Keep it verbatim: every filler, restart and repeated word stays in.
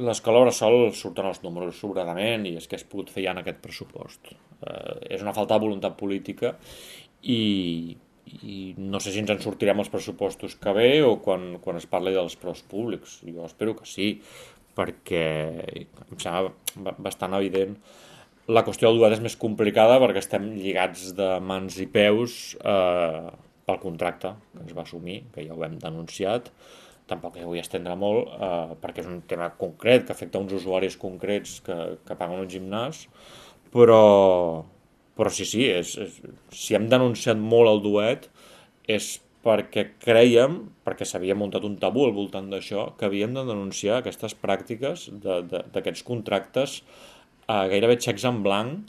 l'escola bressol surten els números sobradament i és que es pogut fer ja en aquest pressupost. Eh, és una falta de voluntat política i, i no sé si ens en sortirem els pressupostos que ve o quan, quan es parli dels preus públics. Jo espero que sí, perquè em sembla bastant evident. La qüestió del duet és més complicada perquè estem lligats de mans i peus eh, pel contracte que ens va assumir, que ja ho hem denunciat. Tampoc hi vull estendre molt, eh, perquè és un tema concret que afecta uns usuaris concrets que, que paguen un gimnàs, però, però sí, sí, és, és, si hem denunciat molt el duet és perquè creiem, perquè s'havia muntat un tabú al voltant d'això, que havíem de denunciar aquestes pràctiques de- de- d'aquests contractes eh, gairebé xecs en blanc